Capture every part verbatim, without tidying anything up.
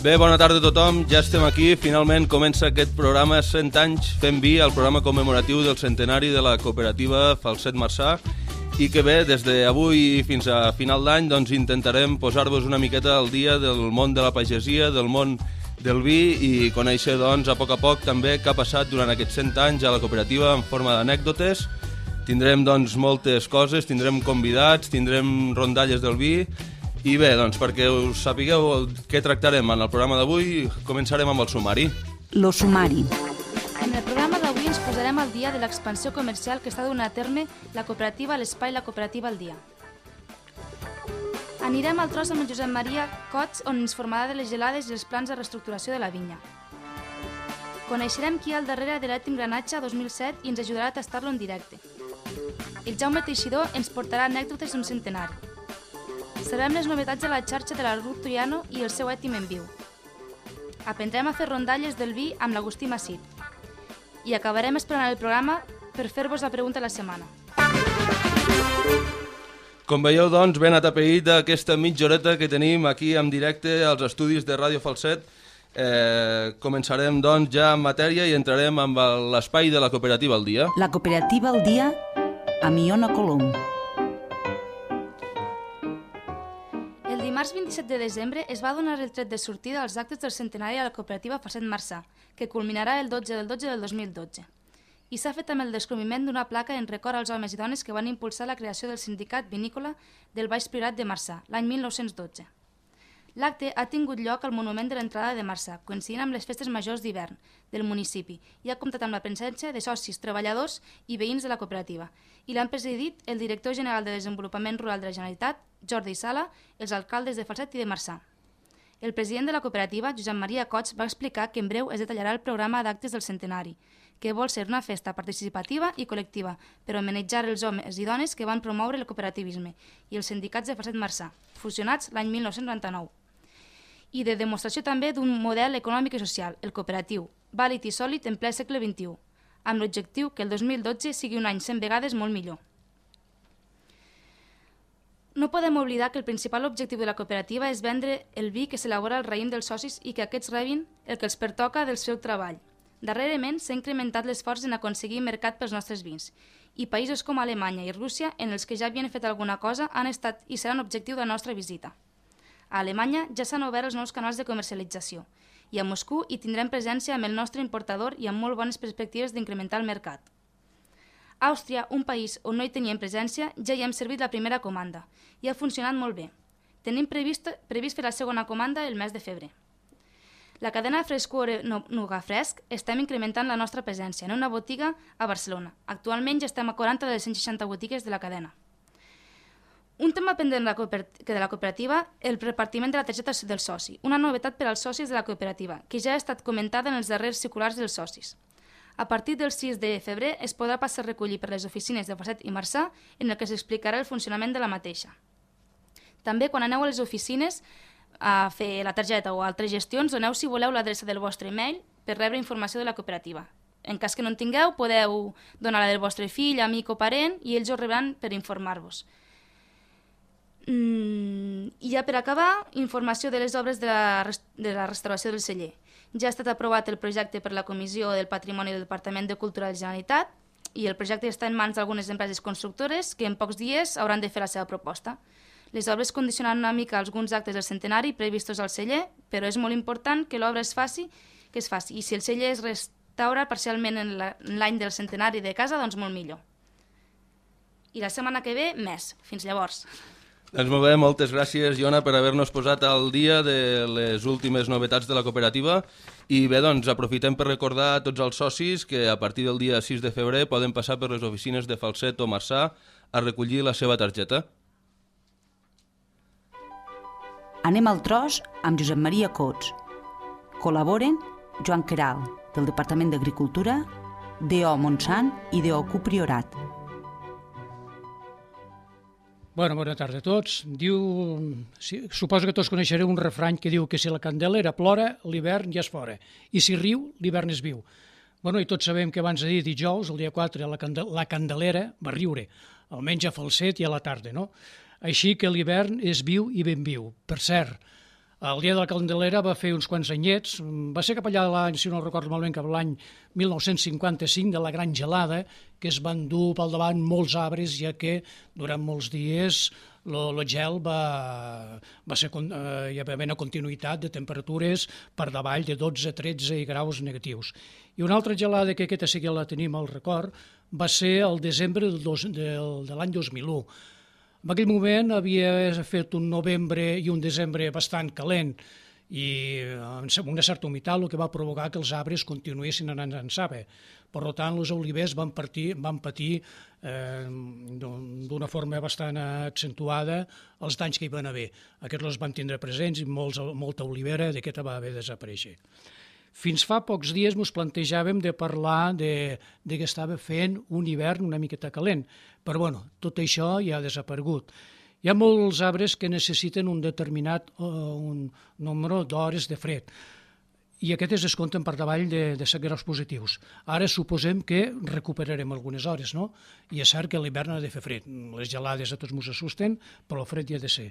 Bé, bona tarda a tothom, ja estem aquí, finalment comença aquest programa cent anys fent vi, el programa commemoratiu del centenari de la cooperativa Falset Marçà, i que bé, des d'avui fins a final d'any doncs intentarem posar-vos una miqueta al dia del món de la pagesia, del món del vi i conèixer doncs a poc a poc també què ha passat durant aquests cent anys a la cooperativa en forma d'anècdotes. Tindrem doncs moltes coses, tindrem convidats, tindrem rondalles del vi. I bé, doncs, perquè us sapigueu què tractarem en el programa d'avui, començarem amb el sumari. Lo sumari. En el programa d'avui ens posarem al dia de l'expansió comercial que està donant a terme la cooperativa a l'Espai La Cooperativa al Dia. Anirem al tros amb el Josep Maria Cots, on ens informarà de les gelades i els plans de reestructuració de la vinya. Coneixerem qui hi ha al darrere de l'Ètim Granatge dos mil set i ens ajudarà a tastar-lo en directe. El Jaume Teixidor ens portarà anècdotes d'un centenari. Sabrem les novetats de la xarxa de la Ruth Triano i el seu ètim en viu. Aprendrem a fer rondalles del vi amb l'Agustí Massit. I acabarem esperant el programa per fer-vos la pregunta de la setmana. Com veieu, doncs, ben atapeït aquesta mitja horeta que tenim aquí en directe als estudis de Ràdio Falset. Eh, començarem, doncs, ja en matèria i entrarem amb l'espai de la cooperativa al dia. La cooperativa al dia amb Iona Colom. El dimarts vint-i-set de desembre es va donar el tret de sortida als actes del centenari a la cooperativa Falset Marçà, que culminarà el dotze del dotze del dos mil dotze. I s'ha fet amb el descobriment d'una placa en record als homes i dones que van impulsar la creació del sindicat vinícola del Baix Priorat de Marçà, l'any mil nou-cents dotze. L'acte ha tingut lloc al monument de l'entrada de Marçà, coincidint amb les festes majors d'hivern del municipi, i ha comptat amb la presència de socis, treballadors i veïns de la cooperativa, i l'han presidit el director general de Desenvolupament Rural de la Generalitat, Jordi Sala, els alcaldes de Falset i de Marçà. El president de la cooperativa, Josep Maria Cots, va explicar que en breu es detallarà el programa d'actes del centenari, que vol ser una festa participativa i col·lectiva per homenatjar els homes i dones que van promoure el cooperativisme i els sindicats de Falset Marçà, fusionats l'any mil nou-cents noranta-nou. I de demostració també d'un model econòmic i social, el cooperatiu, vàlid i sòlid en ple segle vint-i-u, amb l'objectiu que el dos mil dotze sigui un any cent vegades molt millor. No podem oblidar que el principal objectiu de la cooperativa és vendre el vi que s'elabora al raïm dels socis i que aquests rebin el que els pertoca del seu treball. Darrerament s'ha incrementat l'esforç en aconseguir mercat pels nostres vins, i països com Alemanya i Rússia, en els que ja havien fet alguna cosa, han estat i seran objectiu de la nostra visita. A Alemanya ja s'han obert els nous canals de comercialització, i a Moscou hi tindrem presència amb el nostre importador i amb molt bones perspectives d'incrementar el mercat. A Àustria, un país on no hi teníem presència, ja hi hem servit la primera comanda i ha funcionat molt bé. Tenim previst, previst fer la segona comanda el mes de febrer. La cadena Frescor Nuga Fresc estem incrementant la nostra presència en una botiga a Barcelona. Actualment ja estem a quaranta de les cent seixanta botigues de la cadena. Un tema pendent de la cooperativa, el repartiment de la targeta del soci, una novetat per als socis de la cooperativa, que ja ha estat comentada en els darrers circulars dels socis. A partir del sis de febrer es podrà passar a recollir per les oficines de Falset i Marçà, en el que s'explicarà el funcionament de la mateixa. També, quan aneu a les oficines a fer la targeta o altres gestions, doneu, si voleu, l'adreça del vostre e-mail per rebre informació de la cooperativa. En cas que no en tingueu, podeu donar la del vostre fill, amic o parent i ells ho rebran per informar-vos. Mm, I ja per acabar, informació de les obres de la, de la restauració del celler. Ja ha estat aprovat el projecte per la Comissió del Patrimoni del Departament de Cultura de la Generalitat i el projecte està en mans d'algunes empreses constructores que en pocs dies hauran de fer la seva proposta. Les obres condicionaran una mica alguns actes del centenari previstos al celler, però és molt important que l'obra es faci, que es faci. I si el celler es restaura parcialment en l'any del centenari de casa, doncs molt millor. I la setmana que ve, més. Fins llavors. Doncs molt bé, moltes gràcies, Iona, per haver-nos posat al dia de les últimes novetats de la cooperativa. I bé, doncs, aprofitem per recordar a tots els socis que a partir del dia sis de febrer poden passar per les oficines de Falset o Marçà a recollir la seva targeta. Anem al tros amb Josep Maria Cots. Col·laboren Joan Queralt, del Departament d'Agricultura, D O Montsant i D O Q Priorat. Bueno, bona tarda a tots. Diu, si, suposo que tots coneixereu un refrany que diu que si la candelera plora, l'hivern ja és fora. I si riu, l'hivern és viu. Bueno, i tots sabem que abans de dir dijous, el dia quatre, la, candel la candelera va riure, almenys a Falset i a la tarda, no? Així que l'hivern és viu i ben viu. Per cert, El dia de la Candelera va fer uns quants anyets, va ser cap allà de l'any, si no recordo malament, cap l'any mil nou-cents cinquanta-cinc, de la gran gelada, que es van dur pel davant molts arbres, ja que durant molts dies el gel va, va ser, eh, hi va haver una continuïtat de temperatures per davall de dotze a tretze graus negatius. I una altra gelada, que aquesta sí que la tenim al record, va ser el desembre del dos, del, de l'any dos mil u. En aquell moment havia fet un novembre i un desembre bastant calent i amb una certa humitat, el que va provocar que els arbres continuessin anant en saba. Per tant, els olivers van, partir, van patir eh, d'una forma bastant accentuada els danys que hi van haver. Aquests els van tindre presents i molts, molta olivera d'aquesta va haver de desaparèixer. Fins fa pocs dies ens plantejàvem de parlar de, de que estava fent un hivern una miqueta calent, però bueno, tot això ja ha desaparegut. Hi ha molts arbres que necessiten un determinat uh, un nombre d'hores de fred i aquestes es compten per davall de, de set graus positius. Ara suposem que recuperarem algunes hores, no? I és cert que l'hivern ha de fer fred. Les gelades a tots ens assusten, però el fred hi ha de ser.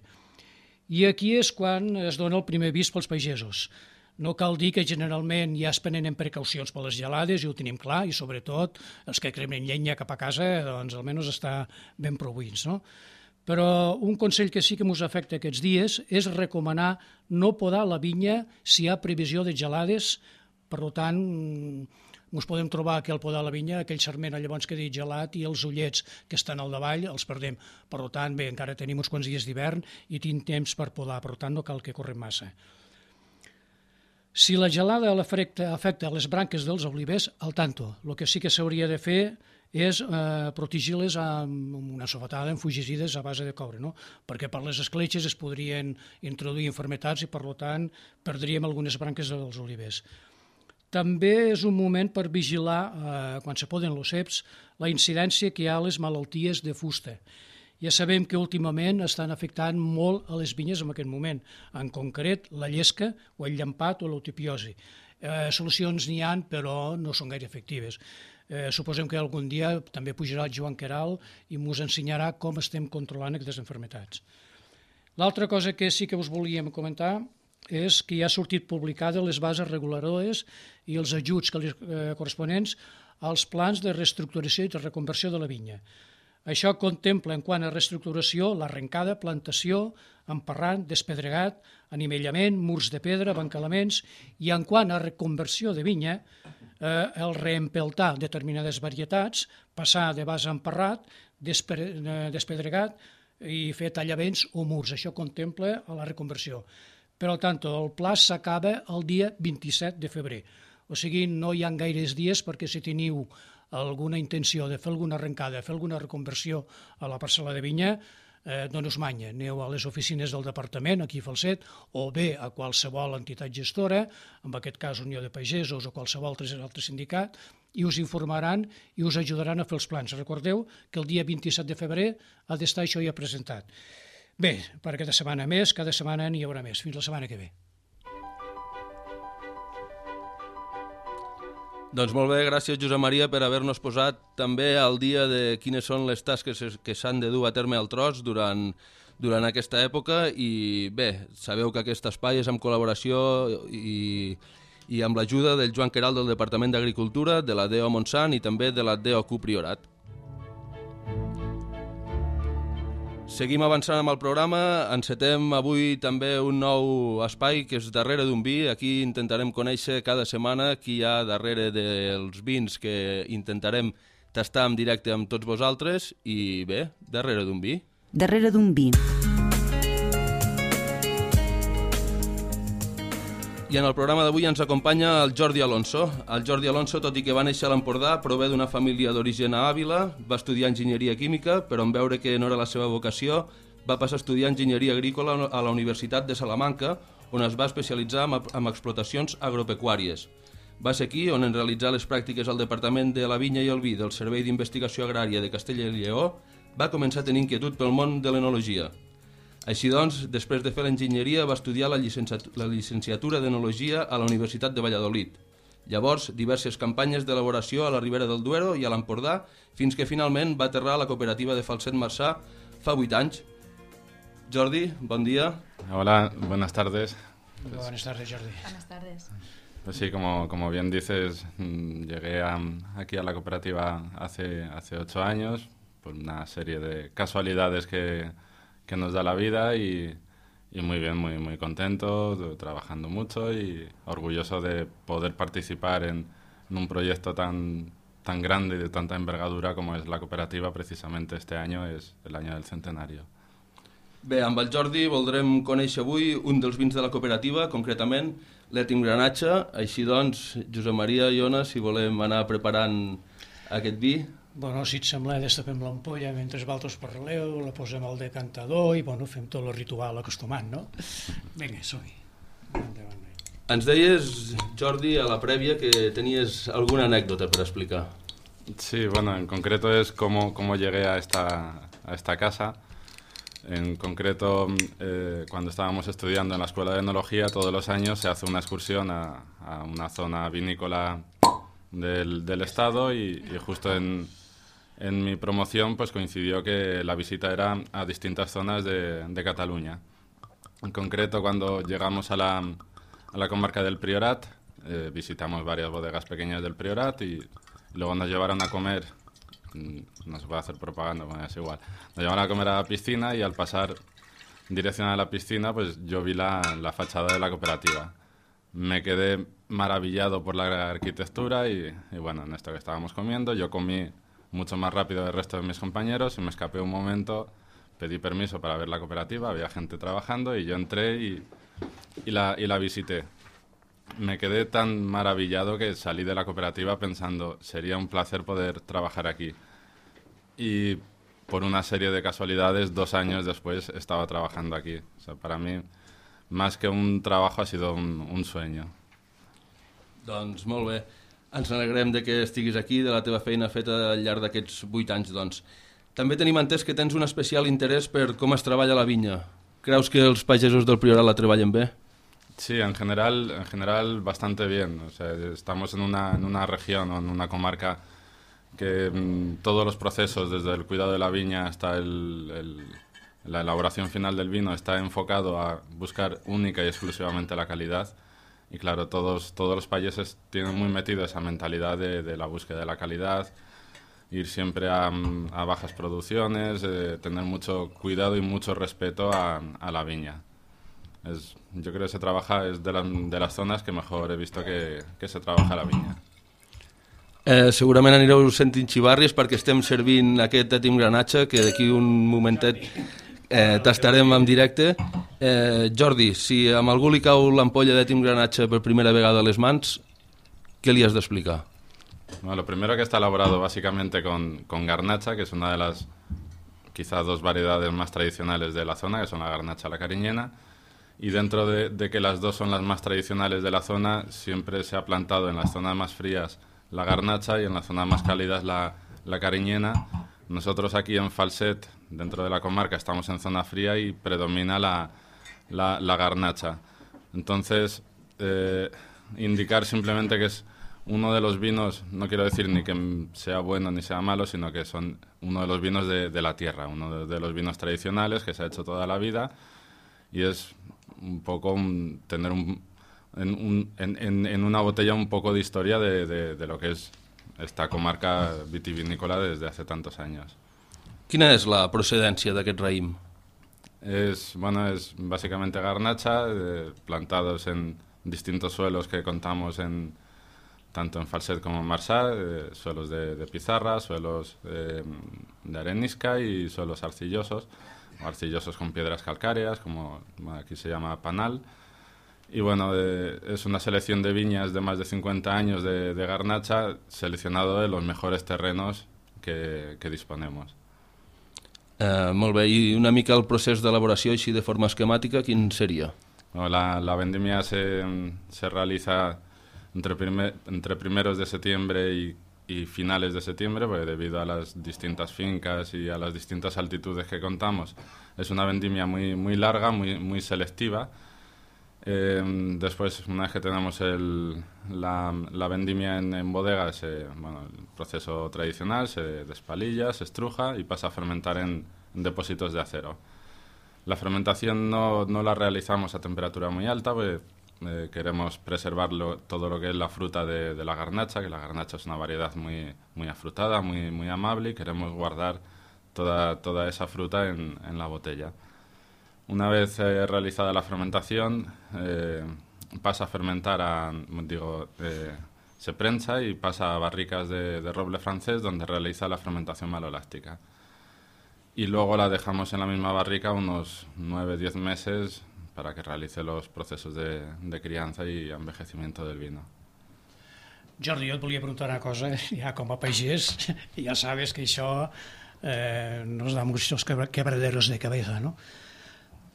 I aquí és quan es dona el primer avís pels pagesos. No cal dir que generalment ja es prenen precaucions per les gelades, i ho tenim clar, i sobretot els que cremen llenya cap a casa, doncs almenys està ben proveïts, no? Però un consell que sí que ens afecta aquests dies és recomanar no podar la vinya si hi ha previsió de gelades. Per tant, ens podem trobar que al podar la vinya, aquell sarment llavors que he dit gelat i els ullets que estan al davall els perdem. Per tant, bé, encara tenim uns quants dies d'hivern i tinc temps per podar, per tant no cal que correm massa. Si la gelada afecta, afecta les branques dels olivers, al tanto. El que sí que s'hauria de fer és eh, protegir-les amb una sofatada, amb fungicides a base de coure, no? Perquè per les escletxes es podrien introduir malalties i, per tant, perdríem algunes branques dels olivers. També és un moment per vigilar, eh, quan se poden els ceps, la incidència que hi ha a les malalties de fusta. Ja sabem que últimament estan afectant molt a les vinyes en aquest moment, en concret la llesca o el llampat o l'eutipiosi. Eh, solucions n'hi ha, però no són gaire efectives. Eh, suposem que algun dia també pujarà el Joan Queralt i ens ensenyarà com estem controlant aquestes malalties. L'altra cosa que sí que us volíem comentar és que ja ha sortit publicada les bases reguladores i els ajuts que li, eh, corresponents als plans de reestructuració i de reconversió de la vinya. Això contempla, en quant a reestructuració, l'arrencada, plantació, emparrant, despedregat, anivellament, murs de pedra, bancalaments, i en quant a reconversió de vinya, eh, el reempeltar determinades varietats, passar de base a emparrat, despedregat i fer tallavents o murs. Això contempla a la reconversió. Per tant, el pla s'acaba el dia vint-i-set de febrer. O sigui, no hi ha gaires dies perquè si teniu alguna intenció de fer alguna arrencada, fer alguna reconversió a la parcel·la de vinya, eh, no us manya. Aneu a les oficines del departament, aquí a Falset, o bé a qualsevol entitat gestora, en aquest cas Unió de Pagesos o qualsevol altre sindicat, i us informaran i us ajudaran a fer els plans. Recordeu que el dia vint-i-set de febrer ha d'estar això ja presentat. Bé, per aquesta setmana més, cada setmana n'hi haurà més. Fins la setmana que ve. Doncs molt bé, gràcies Josep Maria per haver-nos posat també al dia de quines són les tasques que s'han de dur a terme al tros durant, durant aquesta època i bé, sabeu que aquest espai és amb col·laboració i, i amb l'ajuda del Joan Queralt del Departament d'Agricultura, de la D E O Montsant i també de la D E O Q Priorat. Seguim avançant amb el programa, encetem avui també un nou espai que és Darrere d'un vi. Aquí intentarem conèixer cada setmana qui hi ha darrere dels vins que intentarem tastar en directe amb tots vosaltres i bé, Darrere d'un vi. Darrere d'un vi. I en el programa d'avui ens acompanya el Jordi Alonso. El Jordi Alonso, tot i que va néixer a l'Empordà, prové d'una família d'origen a Àvila, va estudiar enginyeria química, però en veure que no era la seva vocació, va passar a estudiar enginyeria agrícola a la Universitat de Salamanca, on es va especialitzar en explotacions agropecuàries. Va ser aquí on, en realitzar les pràctiques al Departament de la Vinya i el Vi del Servei d'Investigació Agrària de Castella i Lleó, va començar a tenir inquietud pel món de l'enologia. Així doncs, després de fer l'enginyeria, va estudiar la llicenciatura d'Enologia a la Universitat de Valladolid. Llavors, diverses campanyes d'elaboració a la Ribera del Duero i a l'Empordà, fins que finalment va aterrar a la cooperativa de Falset Marçà fa vuit anys. Jordi, bon dia. Hola, buenas tardes. Pues, buenas tardes, Jordi. Buenas tardes. Pues sí, como, como bien dices, llegué a, aquí a la cooperativa hace, hace ocho años por una serie de casualidades que, que nos da la vida y, y muy bien, muy, muy contento, trabajando mucho y orgulloso de poder participar en, en un proyecto tan, tan grande y de tanta envergadura como es la cooperativa. Precisamente este año es el año del centenario. Bé, amb el Jordi voldrem conèixer avui un dels vins de la cooperativa, concretament l'Ètim Granatge. Així doncs, Josep Maria i Ona, si volem anar preparant aquest vi. Bueno, si et sembla, destapem l'ampolla mentre vosaltres parleu, la posem al decantador i bueno, fem tot el ritual acostumat, no? Vinga, som-hi. Ens deies, Jordi, a la prèvia que tenies alguna anècdota per explicar. Sí, bueno, en concreto es cómo, cómo llegué a esta, a esta casa. En concreto, eh, cuando estábamos estudiando en la Escuela de Enología, todos los años se hace una excursión a, a una zona vinícola del, del estado y, y justo en, en mi promoción pues coincidió que la visita era a distintas zonas de, de Cataluña. En concreto, cuando llegamos a la, a la comarca del Priorat, eh, visitamos varias bodegas pequeñas del Priorat y luego nos llevaron a comer. No se puede hacer propaganda, bueno, es igual. Nos llevaron a comer a la piscina y al pasar dirección a la piscina, pues yo vi la, la fachada de la cooperativa. Me quedé maravillado por la arquitectura y, y bueno, en esto que estábamos comiendo, yo comí mucho más rápido del resto de mis compañeros y me escapé un momento, pedí permiso para ver la cooperativa, había gente trabajando y yo entré y, y, la, y la visité. Me quedé tan maravillado que salí de la cooperativa pensando, sería un placer poder trabajar aquí. Y por una serie de casualidades, dos años después estaba trabajando aquí. O sea, para mí, más que un trabajo, ha sido un, un sueño. Doncs molt bé. Ens alegrem de que estiguis aquí, de la teva feina feta al llarg d'aquests vuit anys. Doncs. També tenim entès que tens un especial interès per com es treballa la vinya. Creus que els pagesos del Priorat la treballen bé? Sí, en general, en general bastante bien. O sea, estamos en una, en una región o en una comarca que mmm, todos los procesos, desde el cuidado de la viña hasta el, el, la elaboración final del vino, está enfocado a buscar única y exclusivamente la calidad. Y claro, todos, todos los países tienen muy metido esa mentalidad de, de la búsqueda de la calidad, ir siempre a, a bajas producciones, eh, tener mucho cuidado y mucho respeto a, a la viña. Es, yo creo que se trabaja, es de, la, de las zonas que mejor he visto que, que se trabaja la vinya. Eh, segurament anireu sentint xivarris perquè estem servint aquest Ètim Granatge, que d'aquí un momentet eh, tastarem en directe. Eh, Jordi, si a algú li cau l'ampolla d'Ètim Granatge per primera vegada a les mans, què li has d'explicar? Bueno, lo primero que está elaborado básicamente con, con garnacha, que es una de las quizás dos variedades más tradicionales de la zona, que son la garnacha y la cariñena. Y dentro de, de que las dos son las más tradicionales de la zona, siempre se ha plantado en las zonas más frías la garnacha y en las zonas más cálidas la, la cariñena. Nosotros aquí en Falset, dentro de la comarca, estamos en zona fría y predomina la, la, la garnacha. Entonces, eh, indicar simplemente que es uno de los vinos, no quiero decir ni que sea bueno ni sea malo, sino que son uno de los vinos de, de la tierra, uno de, de los vinos tradicionales que se ha hecho toda la vida y es un poco un, tener un, en, un, en, en, en una botella un poco de historia de, de, de lo que es esta comarca vitivinícola desde hace tantos años. Quina és la procedència d'aquest raïm? Es, bueno, es básicamente garnacha, eh, plantados en distintos suelos que contamos en tanto en Falset como en Marsá, eh, suelos de, de pizarra, suelos eh, de arenisca y suelos arcillosos, o arcillosos con piedras calcáreas, como bueno, aquí se llama panal. Y bueno, eh, es una selección de viñas de más de cincuenta años de, de garnacha, seleccionado de los mejores terrenos que, que disponemos. Eh, molt bé, i una mica el procés d'elaboració així de forma esquemàtica, quin seria? Bueno, la, la vendimia se, se realiza entre, primer, entre primeros de septiembre y, y finales de septiembre, porque debido a las distintas fincas y a las distintas altitudes que contamos, es una vendimia muy, muy larga, muy, muy selectiva. Eh, después, una vez que tenemos el, la, la vendimia en, en bodegas, eh, bueno, el proceso tradicional, se despalilla, se estruja y pasa a fermentar en, en depósitos de acero. La fermentación no, no la realizamos a temperatura muy alta, pues eh, queremos preservar lo, todo lo que es la fruta de, de la garnacha, que la garnacha es una variedad muy, muy afrutada, muy, muy amable, y queremos guardar toda, toda esa fruta en, en la botella. Una vez eh, realizada la fermentación, eh, pasa a fermentar, a, digo, eh, se prensa y pasa a barricas de, de roble francés, donde realiza la fermentación maloláctica. Y luego la dejamos en la misma barrica unos nueve a diez meses para que realice los procesos de, de criança i envejecimiento del vino. Jordi, jo et volia preguntar una cosa, ja com a pagès, ja sabes que això eh, nos da muchos quebraderos de cabeza, ¿no?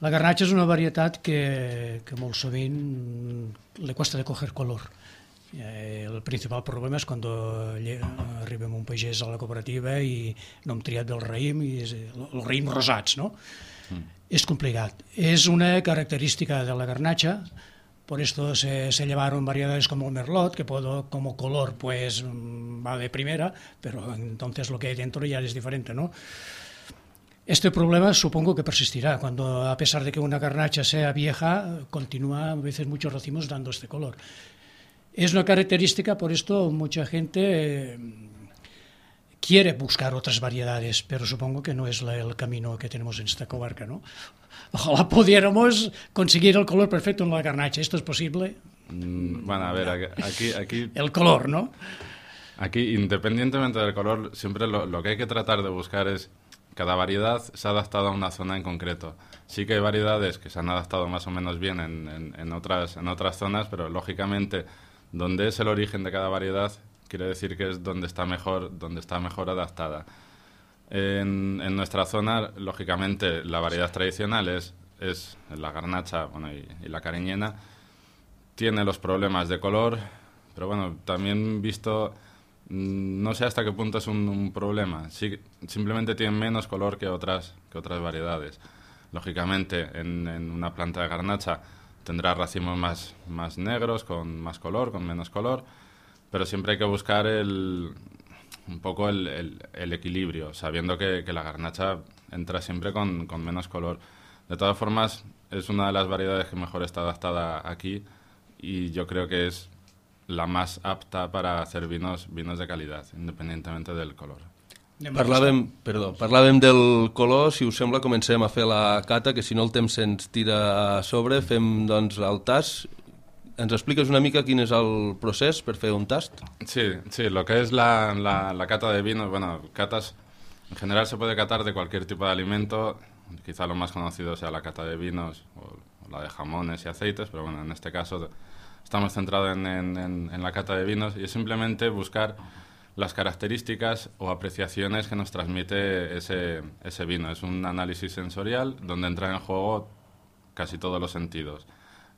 La garnacha és una varietat que, que molt sovint le cuesta de coger color. Eh, el principal problema és quan arribem un pagès a la cooperativa i no hem triat del raïm, i és, els raïms rosats, no? Mm. És complicat. És una característica de la garnacha, por esto se, se llevaron variedades como el merlot, que puedo, como color pues va de primera, pero entonces lo que hay dentro ya es diferente, ¿no? Este problema supongo que persistirá, cuando a pesar de que una garnacha sea vieja, continúa a veces muchos racimos dando este color. Es una característica, por esto mucha gente eh, quiere buscar otras variedades, pero supongo que no es la, el camino que tenemos en esta comarca, ¿no? Ojalá pudiéramos conseguir el color perfecto en la garnacha. ¿Esto es posible? Mm, bueno, a ver, aquí, aquí... El color, ¿no? Aquí, independientemente del color, siempre lo, lo que hay que tratar de buscar es cada variedad se ha adaptado a una zona en concreto. Sí que hay variedades que se han adaptado más o menos bien en, en, en, otras, en otras zonas, pero lógicamente donde es el origen de cada variedad quiere decir que es donde está mejor, donde está mejor adaptada. En, en nuestra zona, lógicamente, la variedad tradicional es, es la garnacha, bueno, y, y la cariñena. Tiene los problemas de color, pero bueno, también visto, no sé hasta qué punto es un, un problema. Sí, simplemente tienen menos color que otras, que otras variedades. Lógicamente, en, en una planta de garnacha tendrá racimos más, más negros, con más color, con menos color, pero siempre hay que buscar el, un poco el, el, el equilibrio, sabiendo que, que la garnacha entra siempre con, con menos color. De todas formas, es una de las variedades que mejor está adaptada aquí y yo creo que es la más apta para hacer vinos, vinos de calidad, independientemente del color. Parlàvem, perdó, parlàvem del color, si us sembla comencem a fer la cata, que si no el temps se'ns tira a sobre, fem doncs el tast. ¿Ens expliques una mica quin és el procés per fer un tast? Sí, sí, lo que es la, la, la cata de vinos, bueno, catas, en general se puede catar de cualquier tipo de alimento, quizá lo más conocido sea la cata de vinos o, o la de jamones y aceites, pero bueno, en este caso estamos centrados en, en, en, en la cata de vinos y es simplemente buscar las características o apreciaciones que nos transmite ese, ese vino. Es un análisis sensorial donde entran en juego casi todos los sentidos.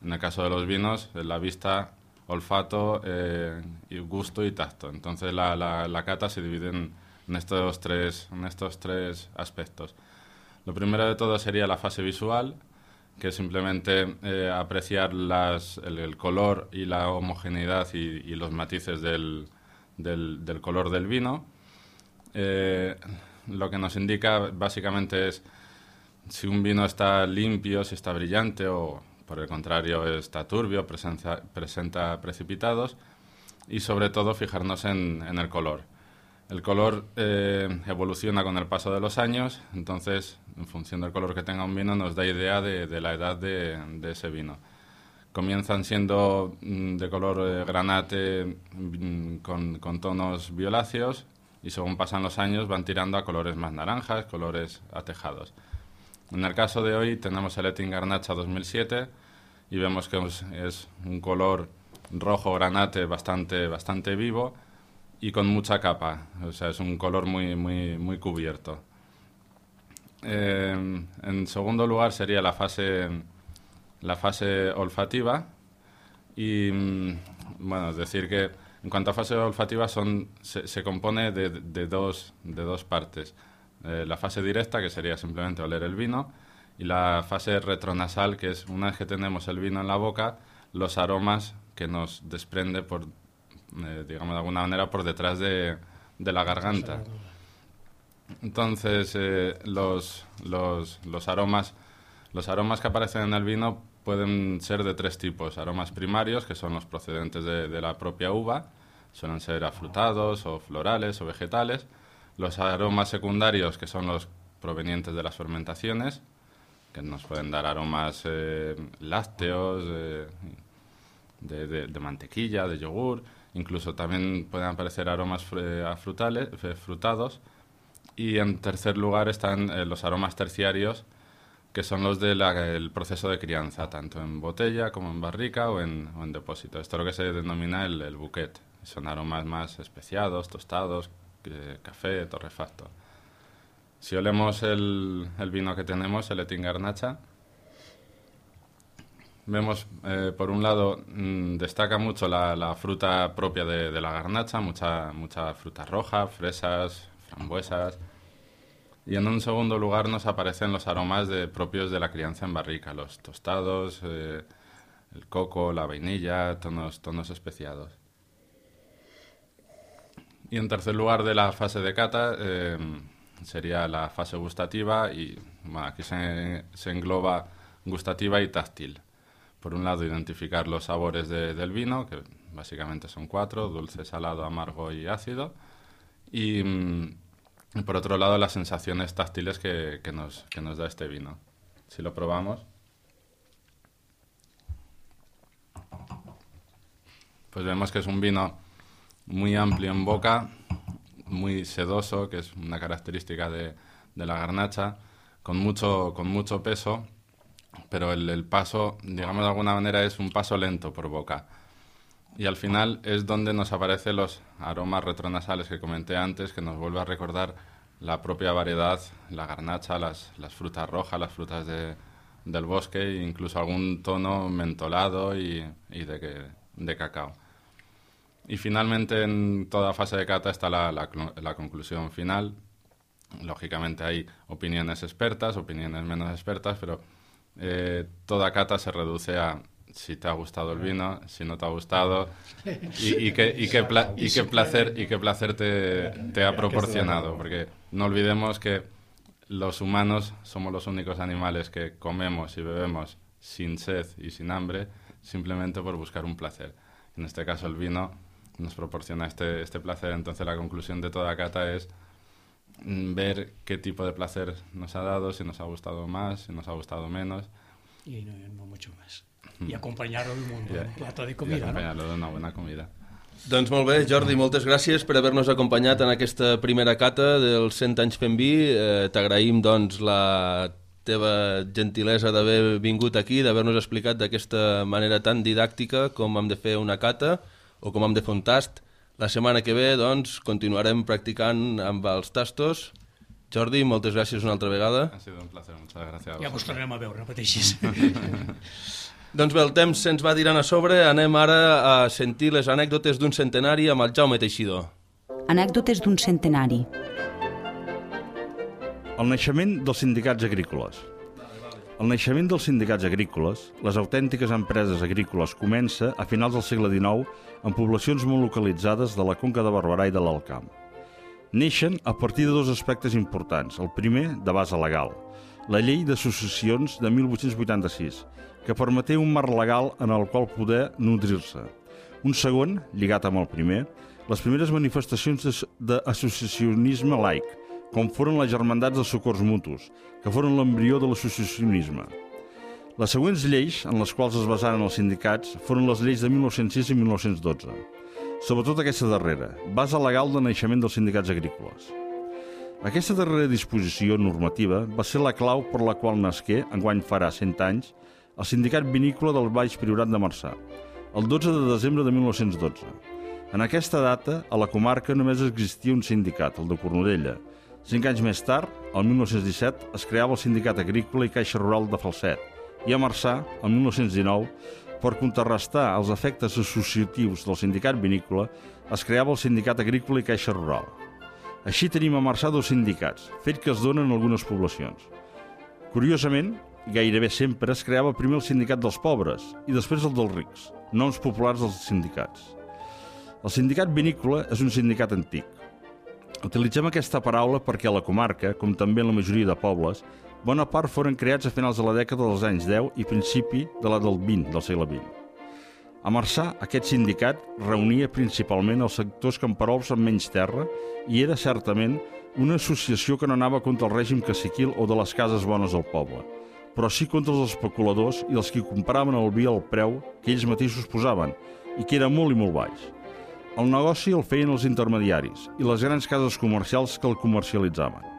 En el caso de los vinos, la vista, olfato, eh, y gusto y tacto. Entonces la, la, la cata se divide en, en, estos tres, en estos tres aspectos. Lo primero de todo sería la fase visual, que es simplemente eh, apreciar las, el, el color y la homogeneidad y, y los matices del Del, del color del vino. Eh, lo que nos indica básicamente es si un vino está limpio, si está brillante o por el contrario está turbio, presenta, presenta precipitados y sobre todo fijarnos en, en el color. El color eh, evoluciona con el paso de los años, entonces en función del color que tenga un vino nos da idea de, de la edad de, de ese vino. Comienzan siendo de color eh, granate con, con tonos violáceos y según pasan los años van tirando a colores más naranjas, colores atejados. En el caso de hoy tenemos el Etin Garnacha dos mil siete y vemos que es, es un color rojo granate bastante, bastante vivo y con mucha capa, o sea, es un color muy, muy, muy cubierto. Eh, en segundo lugar sería la fase... la fase olfativa y, bueno, es decir que en cuanto a fase olfativa son, se, se compone de, de, dos, de dos partes. Eh, la fase directa, que sería simplemente oler el vino, y la fase retronasal, que es una vez que tenemos el vino en la boca, los aromas que nos desprende, por, eh, digamos de alguna manera, por detrás de, de la garganta. Entonces, eh, los, los, los aromas Los aromas que aparecen en el vino pueden ser de tres tipos. Aromas primarios, que son los procedentes de, de la propia uva, suelen ser afrutados o florales o vegetales. Los aromas secundarios, que son los provenientes de las fermentaciones, que nos pueden dar aromas eh, lácteos, eh, de, de, de mantequilla, de yogur. Incluso también pueden aparecer aromas eh, frutales, eh, frutados. Y en tercer lugar están eh, los aromas terciarios, que son los del proceso de crianza, tanto en botella como en barrica o en, o en depósito. Esto es lo que se denomina el, el bouquet. Son aromas más especiados, tostados, eh, café, torrefacto. Si olemos el, el vino que tenemos, el Etin Garnacha, vemos, eh, por un lado, mmm, destaca mucho la, la fruta propia de, de la garnacha, mucha, mucha fruta roja, fresas, frambuesas. Y en un segundo lugar nos aparecen los aromas de, propios de la crianza en barrica, los tostados, eh, el coco, la vainilla, tonos, tonos especiados. Y en tercer lugar de la fase de cata eh, sería la fase gustativa y bueno, aquí se, se engloba gustativa y táctil. Por un lado, identificar los sabores de, del vino, que básicamente son cuatro, dulce, salado, amargo y ácido. Y, y por otro lado, las sensaciones táctiles que, que, nos, que nos da este vino. Si lo probamos, pues vemos que es un vino muy amplio en boca, muy sedoso, que es una característica de, de la garnacha, con mucho, con mucho peso, pero el, el paso, digamos de alguna manera, es un paso lento por boca. Y al final es donde nos aparecen los aromas retronasales que comenté antes, que nos vuelve a recordar la propia variedad, la garnacha, las, las frutas rojas, las frutas de, del bosque e incluso algún tono mentolado y, y de, de cacao. Y finalmente en toda fase de cata está la, la, la conclusión final. Lógicamente hay opiniones expertas, opiniones menos expertas, pero eh, toda cata se reduce a si te ha gustado el vino, si no te ha gustado y, y, qué, y, qué, pla y qué placer, y qué placer te, te ha proporcionado. Porque no olvidemos que los humanos somos los únicos animales que comemos y bebemos sin sed y sin hambre simplemente por buscar un placer. En este caso el vino nos proporciona este, este placer. Entonces la conclusión de toda cata es ver qué tipo de placer nos ha dado, si nos ha gustado más, si nos ha gustado menos. Y no, no mucho más. I acompanyar-ho amb un I, plato de i comida, acompanyar-lo no? d'una bona comida. Doncs molt bé, Jordi, moltes gràcies per haver-nos acompanyat en aquesta primera cata dels cent anys fent vi. Eh, T'agraïm doncs, la teva gentilesa d'haver vingut aquí, d'haver-nos explicat d'aquesta manera tan didàctica com hem de fer una cata o com hem de fer un tast. La setmana que ve doncs, continuarem practicant amb els tastos. Jordi, moltes gràcies una altra vegada. Ha sido un placer, muchas gracias. Ja vos tornarem a veure, repeteixis. Doncs bé, el temps se'ns va tirant a sobre. Anem ara a sentir les anècdotes d'un centenari amb el Jaume Teixidor. Anècdotes d'un centenari. El naixement dels sindicats agrícoles. El naixement dels sindicats agrícoles, les autèntiques empreses agrícoles, comença a finals del segle dinou en poblacions molt localitzades de la Conca de Barberà i de l'Alt Camp. Neixen a partir de dos aspectes importants. El primer, de base legal, la llei d'associacions de mil vuit-cents vuitanta-sis, que permeté un marc legal en el qual poder nodrir-se. Un segon, lligat amb el primer, les primeres manifestacions d'associacionisme laic, com foren les germandats dels socors mutus, que foren l'embrió de l'associacionisme. Les següents lleis en les quals es basaren els sindicats foren les lleis de mil nou-cents sis i mil nou-cents dotze. Sobretot aquesta darrera, base legal de naixement dels sindicats agrícoles. Aquesta darrera disposició normativa va ser la clau per la qual nasqué, enguany farà cent anys, el sindicat vinícola del Baix Priorat de Marçà, el dotze de desembre de mil nou-cents dotze. En aquesta data, a la comarca només existia un sindicat, el de Cornudella. Cinc anys més tard, el mil nou-cents disset, es creava el Sindicat Agrícola i Caixa Rural de Falset, i a Marçà, el mil nou-cents dinou, per contrarrestar els efectes associatius del sindicat vinícola, es creava el Sindicat Agrícola i Caixa Rural. Així tenim a Marçà dos sindicats, fet que es donen en algunes poblacions. Curiosament, gairebé sempre es creava primer el sindicat dels pobres i després el dels rics, noms populars dels sindicats. El sindicat vinícola és un sindicat antic. Utilitzem aquesta paraula perquè a la comarca, com també en la majoria de pobles, bona part foren creats a finals de la dècada dels anys deu i principi de la del vint, del segle vint. A Marçà, aquest sindicat reunia principalment els sectors camperols amb menys terra i era certament una associació que no anava contra el règim caciquil o de les cases bones del poble, però sí contra els especuladors i els que compraven el vi al preu que ells mateixos posaven i que era molt i molt baix. El negoci el feien els intermediaris i les grans cases comercials que el comercialitzaven.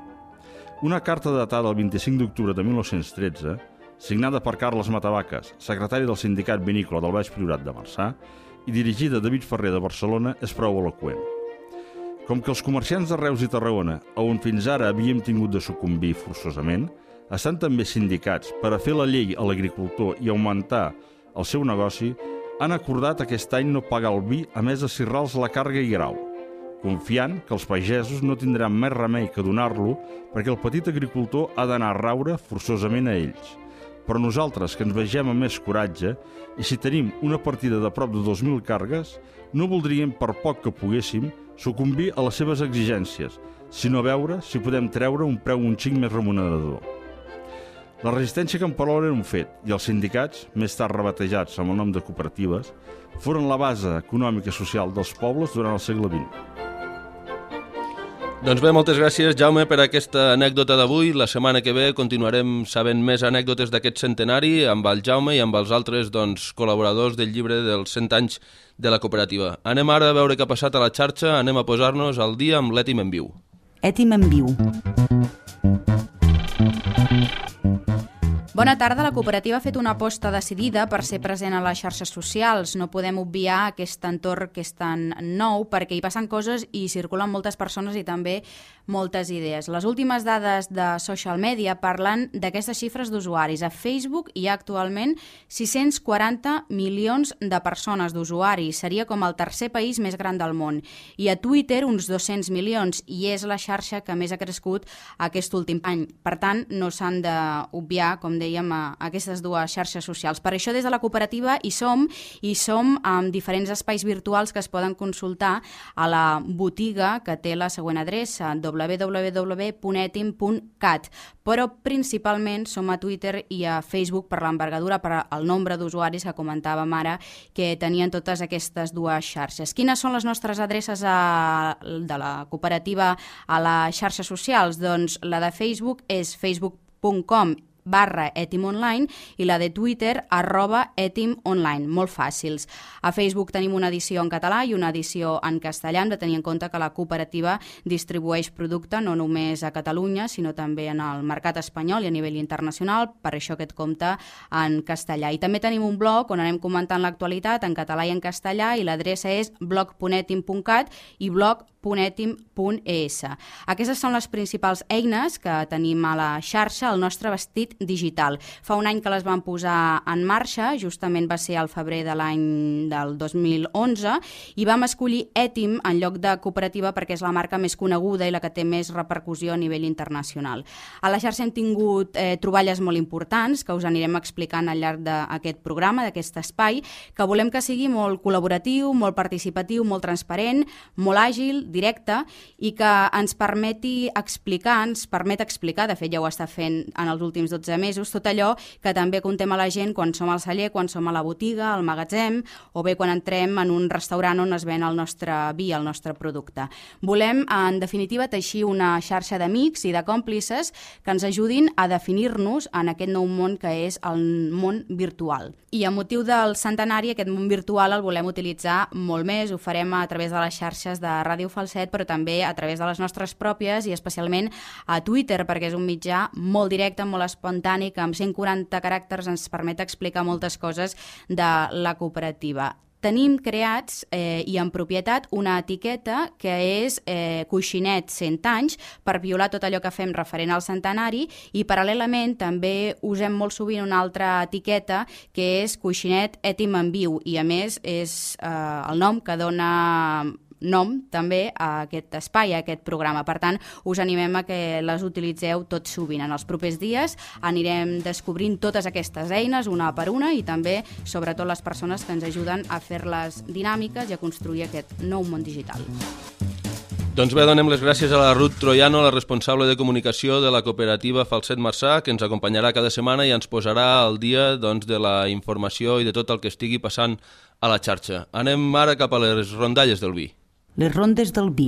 Una carta datada el vint-i-cinc d'octubre de mil nou-cents tretze, signada per Carles Matavaques, secretari del Sindicat Vinícola del Baix Priorat de Marçà, i dirigida a David Ferrer de Barcelona, és prou eloqüent. Com que els comerciants de Reus i Tarragona, on fins ara havíem tingut de sucumbir forçosament, estan també sindicats per a fer la llei a l'agricultor i augmentar el seu negoci, han acordat aquest any no pagar el vi a més de cirrals la càrrega i grau, confiant que els pagesos no tindran més remei que donar-lo perquè el petit agricultor ha d'anar a raure forçosament a ells. Però nosaltres, que ens vegem amb més coratge, i si tenim una partida de prop de dos mil càrregues, no voldríem, per poc que poguéssim, sucumbir a les seves exigències, sinó veure si podem treure un preu un xic més remunerador. La resistència camperola era un fet i els sindicats, més tard rebatejats amb el nom de cooperatives, foren la base econòmica i social dels pobles durant el segle vint. Doncs bé, moltes gràcies, Jaume, per aquesta anècdota d'avui. La setmana que ve continuarem sabent més anècdotes d'aquest centenari amb el Jaume i amb els altres doncs, col·laboradors del llibre dels cent anys de la cooperativa. Anem ara a veure què ha passat a la xarxa, anem a posar-nos al dia amb l'Ètim en viu. Ètim en viu. Bona tarda. La cooperativa ha fet una aposta decidida per ser present a les xarxes socials. No podem obviar aquest entorn que és tan nou perquè hi passen coses i circulen moltes persones i també moltes idees. Les últimes dades de social media parlen d'aquestes xifres d'usuaris. A Facebook hi ha actualment sis-cents quaranta milions de persones d'usuaris. Seria com el tercer país més gran del món. I a Twitter uns dos-cents milions i és la xarxa que més ha crescut aquest últim any. Per tant, no s'han d'obviar, com dèiem, a aquestes dues xarxes socials. Per això des de la cooperativa hi som, i som amb diferents espais virtuals que es poden consultar a la botiga que té la següent adreça, w w w punt etim punt cat, però principalment som a Twitter i a Facebook per l'envergadura, per el nombre d'usuaris que comentàvem ara que tenien totes aquestes dues xarxes. Quines són les nostres adreces a, de la cooperativa a les xarxes socials? Doncs la de Facebook és facebook punt com barra Etim Online i la de Twitter arroba Etim Online, molt fàcils. A Facebook tenim una edició en català i una edició en castellà. Hem de tenir en compte que la cooperativa distribueix producte no només a Catalunya, sinó també en el mercat espanyol i a nivell internacional, per això aquest compte en castellà. I també tenim un blog on anem comentant l'actualitat en català i en castellà i l'adreça és blog punt etim punt cat i blog punt etim punt es. Aquestes són les principals eines que tenim a la xarxa, al nostre vestit digital. Fa un any que les vam posar en marxa, justament va ser al febrer de l'any del dos mil onze, i vam escollir Etim en lloc de cooperativa perquè és la marca més coneguda i la que té més repercussió a nivell internacional. A la xarxa hem tingut eh, troballes molt importants que us anirem explicant al llarg d'aquest programa, d'aquest espai, que volem que sigui molt col·laboratiu, molt participatiu, molt transparent, molt àgil, directe i que ens permeti explicar, ens permet explicar, de fet ja ho està fent en els últims dotze mesos, tot allò que també contem a la gent quan som al celler, quan som a la botiga, al magatzem o bé quan entrem en un restaurant on es ven el nostre vi, el nostre producte. Volem, en definitiva, teixir una xarxa d'amics i de còmplices que ens ajudin a definir-nos en aquest nou món que és el món virtual. I a motiu del centenari, aquest món virtual el volem utilitzar molt més, ho farem a través de les xarxes de Ràdio Falset, però també a través de les nostres pròpies i especialment a Twitter, perquè és un mitjà molt directe, molt espontani, que amb cent quaranta caràcters ens permet explicar moltes coses de la cooperativa. Tenim creats eh, i en propietat una etiqueta que és eh, Coixinet cent anys per violar tot allò que fem referent al centenari i paral·lelament també usem molt sovint una altra etiqueta que és Coixinet Etim en viu i a més és eh, el nom que dona nom també a aquest espai, a aquest programa. Per tant, us animem a que les utilitzeu tot sovint. En els propers dies anirem descobrint totes aquestes eines una per una i també, sobretot, les persones que ens ajuden a fer-les dinàmiques i a construir aquest nou món digital. Doncs bé, donem les gràcies a la Ruth Troiano, la responsable de comunicació de la cooperativa Falset Marçà, que ens acompanyarà cada setmana i ens posarà al dia doncs, de la informació i de tot el que estigui passant a la xarxa. Anem ara cap a les rondalles del vi. Les rondes del vi.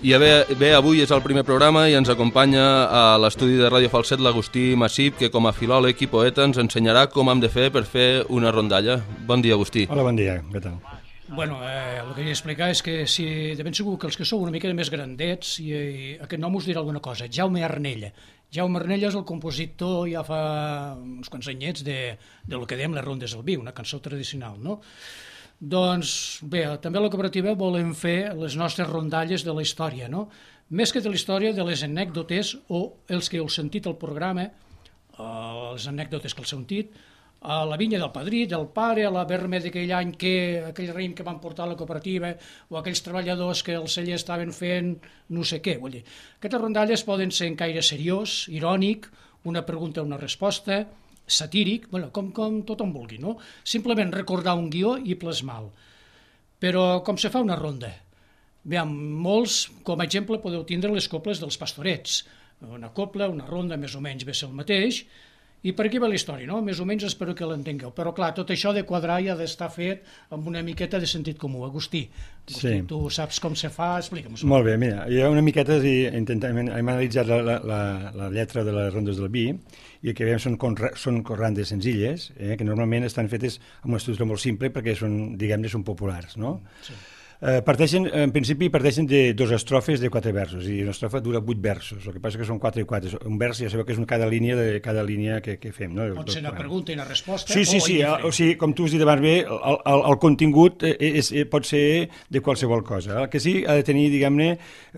I bé, bé, avui és el primer programa i ens acompanya a l'estudi de Ràdio Falset l'Agustí Massip, que com a filòleg i poeta ens ensenyarà com hem de fer per fer una rondalla. Bon dia, Agustí. Hola, bon dia, què tal? Bueno, eh, el que he d'explicar és que si de ben segur que els que sou una mica més grandets, i, i aquest nom us dirà alguna cosa, Jaume Arnella. Jaume Arnella és el compositor ja fa uns quants anyets de, de lo que dèiem les rondes del vi, una cançó tradicional, no? Doncs bé, també a la cooperativa volem fer les nostres rondalles de la història, no? Més que de la història, de les anècdotes o els que heu sentit al programa, eh, les anècdotes que heu sentit, a la vinya del padrí, del pare, a la berme d'aquell any que aquell raïm que van portar a la cooperativa o aquells treballadors que el celler estaven fent no sé què. Vull dir, aquestes rondalles poden ser en caire seriós, irònic, una pregunta o una resposta, satíric, bueno, com, com tothom vulgui, no? Simplement recordar un guió i plasmar-lo. Però com se fa una ronda? Bé, molts, com a exemple, podeu tindre les coples dels pastorets. Una copla, una ronda, més o menys ve ser el mateix, i per aquí va la història, no? Més o menys espero que l'entengueu. Però clar, tot això de quadrar i ha d'estar fet amb una miqueta de sentit comú. Agustí, Agustí sí. Tu saps com se fa? Explica'm-ho. Molt bé, mira, jo una miqueta si intentem, hem analitzat la, la, la lletra de les rondes del vi i el que veiem són, són rondes senzilles, eh, que normalment estan fetes amb una estructura molt simple perquè són, diguem-ne, són populars, no? Sí. Eh, parteixen, en principi parteixen de dos estrofes de quatre versos i una estrofa dura vuit versos, el que passa que són quatre i quatre, un vers ja sabeu que és cada línia de cada línia que, que fem, no? Pot ser una pregunta i una resposta sí, sí, o sí, o sigui, com tu has dit abans bé, el, el, el contingut és, és, pot ser de qualsevol cosa, el que sí ha de tenir, diguem-ne,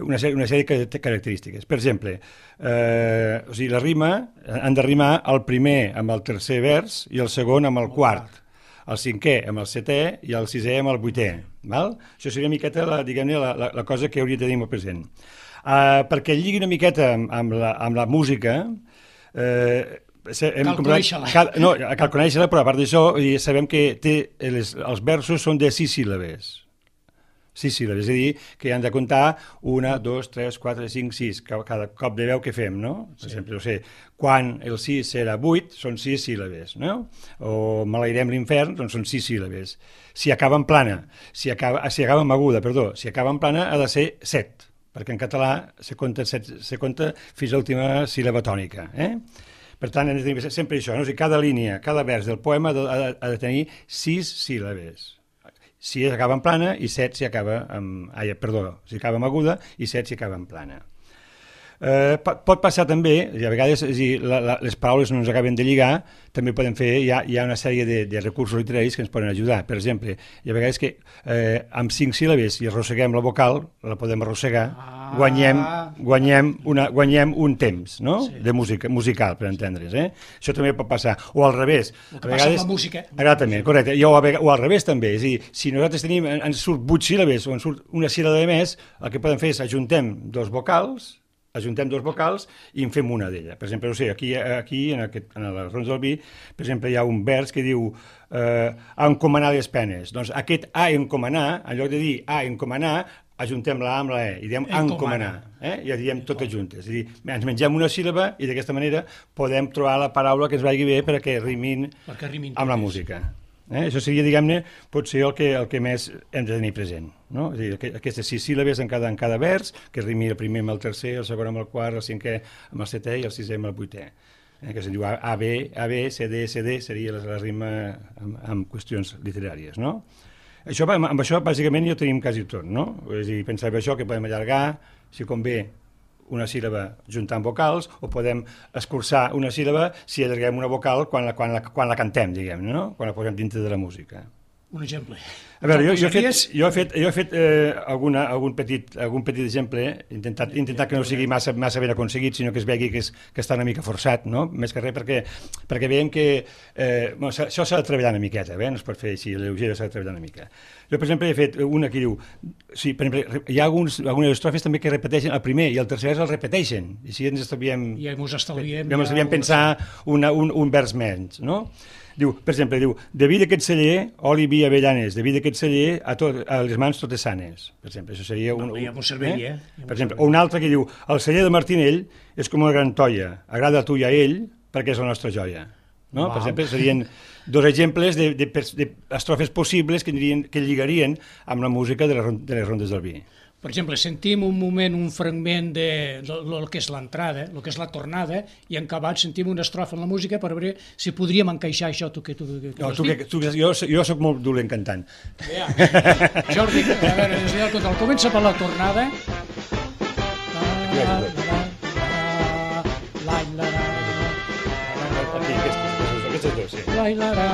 una, una sèrie de característiques. Per exemple, eh, o sigui, la rima han de rimar el primer amb el tercer vers i el segon amb el quart, el cinquè amb el setè i el sisè amb el vuitè. Val? Això seria una miqueta la, diguem-ne, la, la, la cosa que hauria de tenir molt present. Uh, perquè lligui una miqueta amb, amb, la, amb la música, eh, hem cal conèixer-la. Cal, no, cal conèixer-la, però a part d'això sabem que té les, els versos són de sis síl·labes. Sis síl·labes, és a dir, que han de comptar una, dos, tres, quatre, cinc, sis, cada cop de veu que fem, no? Per sí. exemple, no sé, quan el sis serà vuit, són sis síl·labes, no? O maleirem l'infern, doncs són sis síl·labes. Si acaba en plana, si acaba, si acaba en aguda, perdó, si acaba en plana ha de ser set, perquè en català se compta, set, se compta fins a l'última síl·laba tònica, eh? Per tant, hem de tenir sempre això, no? O sigui, cada línia, cada vers del poema ha de, ha de tenir sis síl·labes. Si acaba en plana i set si acaba amb... Ai, perdó, si acaba amb aguda i set si acaba en plana. Eh, pot, pot passar també, i a vegades si la, la, les paraules no ens acaben de lligar, també podem fer, hi ha, hi ha una sèrie de, de recursos literaris que ens poden ajudar. Per exemple, hi ha vegades que eh, amb cinc síl·labes i arrosseguem la vocal, la podem arrossegar, ah. guanyem, guanyem, una, guanyem un temps, no? Sí. De música, musical, per entendre's. Eh? Això també pot passar. O al revés. El que a vegades, passa amb la música. Exactament, correcte. I, o, a, o al revés també. És a dir, si nosaltres tenim, ens surt vuit síl·labes o ens surt una síl·laba més, el que podem fer és ajuntem dos vocals, ajuntem dos vocals i en fem una d'ella. Per exemple, no sé, aquí, aquí en, aquest, en les rondes del vi, per exemple, hi ha un vers que diu eh, a encomanar les penes. Doncs aquest a encomanar, en lloc de dir a encomanar, ajuntem la A amb la E i diem encomanar, eh? I ja diem totes juntes. És a dir, ens mengem una síl·laba i d'aquesta manera podem trobar la paraula que ens vagi bé perquè rimin, perquè rimin amb la música. Eh? Això seria, diguem-ne, potser el que, el que més hem de tenir present. No? És a dir, aquestes sis síl·labes en cada, en cada vers, que rimi el primer amb el tercer, el segon amb el quart, el cinquè amb el setè i el sisè amb el vuitè. Eh? Que se'n diu A, B, A, B, C, D, C, D, seria la, la rima amb, amb qüestions literàries. No? Això, amb això, bàsicament, ja tenim quasi tot. No? És a dir, pensar això que podem allargar, si convé, una síl·laba juntant vocals, o podem escurçar una síl·laba si allarguem una vocal quan la, quan la, quan la cantem, diguem, no? Quan la posem dintre de la música. Un exemple. A veure, jo, jo he fet, jo he fet, jo he fet eh, alguna, algun, petit, algun petit exemple, intentat, intentat que no sigui massa, massa ben aconseguit, sinó que es vegi que, és, que està una mica forçat, no? Més que res perquè, perquè veiem que eh, bueno, això s'ha de treballar una miqueta, eh? No es pot fer així, lleugera s'ha de treballar una mica. Jo, per exemple, he fet una que diu, sí, per exemple, hi ha alguns, algunes estrofes també que repeteixen el primer i el tercer vers el repeteixen, i així ens estalviem, ja ens estalviem, ja ens estalviem pensar una, un, un vers menys, no? Diu, per exemple, diu, de vi d'aquest celler, oli, vi, avellanes, de vi d'aquest celler, a, tot, a les mans totes sanes. Per exemple, això seria un... No, ja m'ho serviria. Eh? Per exemple, o un altre que diu, el celler de Martinell és com una gran toia, agrada a tu i a ell perquè és la nostra joia. No? Per exemple, serien dos exemples d'estrofes possibles que, dirien, que lligarien amb la música de les, de les rondes del vi. Per exemple, sentim un moment, un fragment de, de, de lo que és l'entrada, el que és la tornada, i en acabat sentim una estrofa en la música per veure si podríem encaixar això. Tu, que, tu, que, no, tu, que, tu, jo, jo soc molt dolent cantant. Ja. Jordi, a veure, des de el comença per la tornada. La, la, la, la, la, la, Aquí, aquestes, aquestes dos, sí. La, la, la,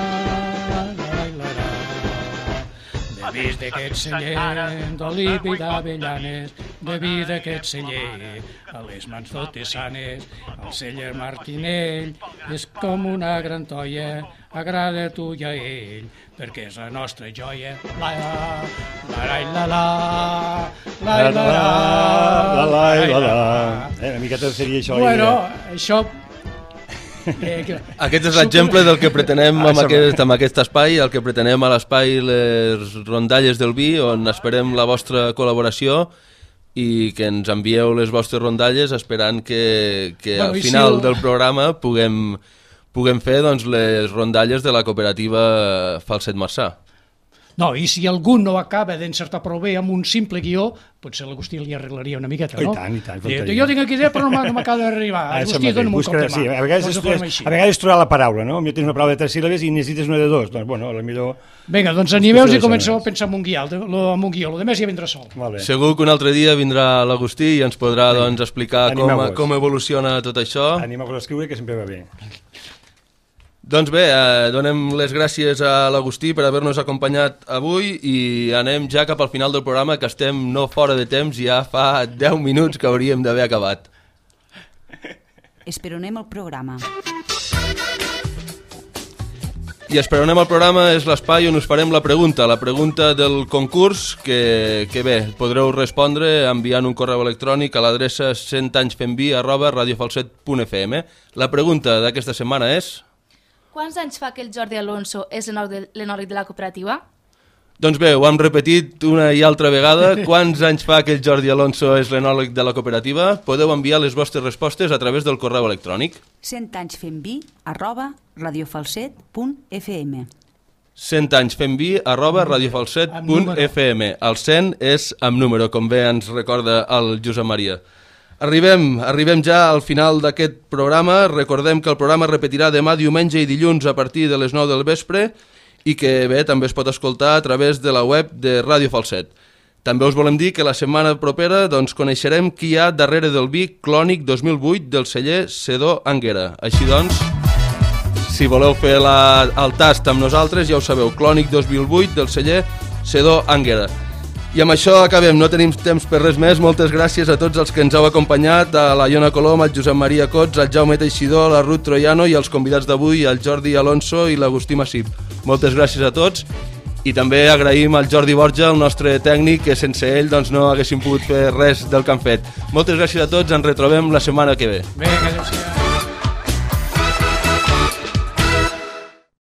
la, la, la. De vi d'aquest celler, d'oliva i d'avellanes, de vi d'aquest celler, a les mans totes sanes, el celler Martinell és com una gran toia, agrada a tu i a ell, perquè és la nostra joia. La, la, la, la, la, la, la, la, la, la, la, la. Eh, una miqueta seria això. Bueno, això... Aquest és l'exemple del que pretenem amb aquest, amb aquest espai, el que pretenem a l'espai les rondalles del vi, on esperem la vostra col·laboració i que ens envieu les vostres rondalles esperant que, que bueno, al final si el... del programa puguem, puguem fer doncs, les rondalles de la cooperativa Falset Marçà. No, i si algú no acaba d'encertar prou bé amb un simple guió, potser l'Agustí li arreglaria una miqueta, no? I tant, i tant. Diu, jo tinc aquí idea, però no m'acaba d'arribar. Agustí, dona'm un cop de mà. Sí, a vegades, és, és, a vegades és trobar la paraula, no? Jo tens una paraula de tres síl·labes i necessites una de dos. Doncs, bueno, a la millor... Vinga, doncs animeu-vos i comenceu a pensar en un guió, amb un guió, el demés ja vindrà sol. Vale. Segur que un altre dia vindrà l'Agustí i ens podrà doncs, explicar com, com evoluciona tot això. Animeu-vos a escriure, que sempre va bé. Doncs bé, eh, donem les gràcies a l'Agustí per haver-nos acompanyat avui i anem ja cap al final del programa, que estem no fora de temps, ja fa deu minuts que hauríem d'haver acabat. Esperonem el programa. I Esperonem el programa és l'espai on us farem la pregunta, la pregunta del concurs, que, que bé, podreu respondre enviant un correu electrònic a l'adreça cent anys fem vi arroba radiofalset punt f m. La pregunta d'aquesta setmana és... Quants anys fa que el Jordi Alonso és l'enòleg de la cooperativa? Doncs bé, ho hem repetit una i altra vegada. Quants anys fa que el Jordi Alonso és l'enòleg de la cooperativa? Podeu enviar les vostres respostes a través del correu electrònic. cent anys fem vi arroba radiofalset punt f m. cent anys fem vi arroba radiofalset punt f m. El cent és amb número, com bé ens recorda el Josep Maria. Arribem, arribem ja al final d'aquest programa. Recordem que el programa es repetirà demà diumenge i dilluns a partir de les nou del vespre i que bé, també es pot escoltar a través de la web de Ràdio Falset. També us volem dir que la setmana propera doncs, coneixerem qui hi ha darrere del vi Clònic dos mil vuit del celler Sedó Anguera. Així doncs, si voleu fer la, el tast amb nosaltres, ja ho sabeu, Clònic dos mil vuit del celler Sedó Anguera. I amb això acabem, no tenim temps per res més. Moltes gràcies a tots els que ens heu acompanyat, a la Iona Colom, al Josep Maria Cots, al Jaume Teixidor, a la Ruth Troiano i als convidats d'avui, al Jordi Alonso i l'Agustí Massip. Moltes gràcies a tots i també agraïm al Jordi Borja, el nostre tècnic, que sense ell doncs, no haguéssim pogut fer res del que han fet. Moltes gràcies a tots, ens retrobem la setmana que ve. Vinga, adéu-siau.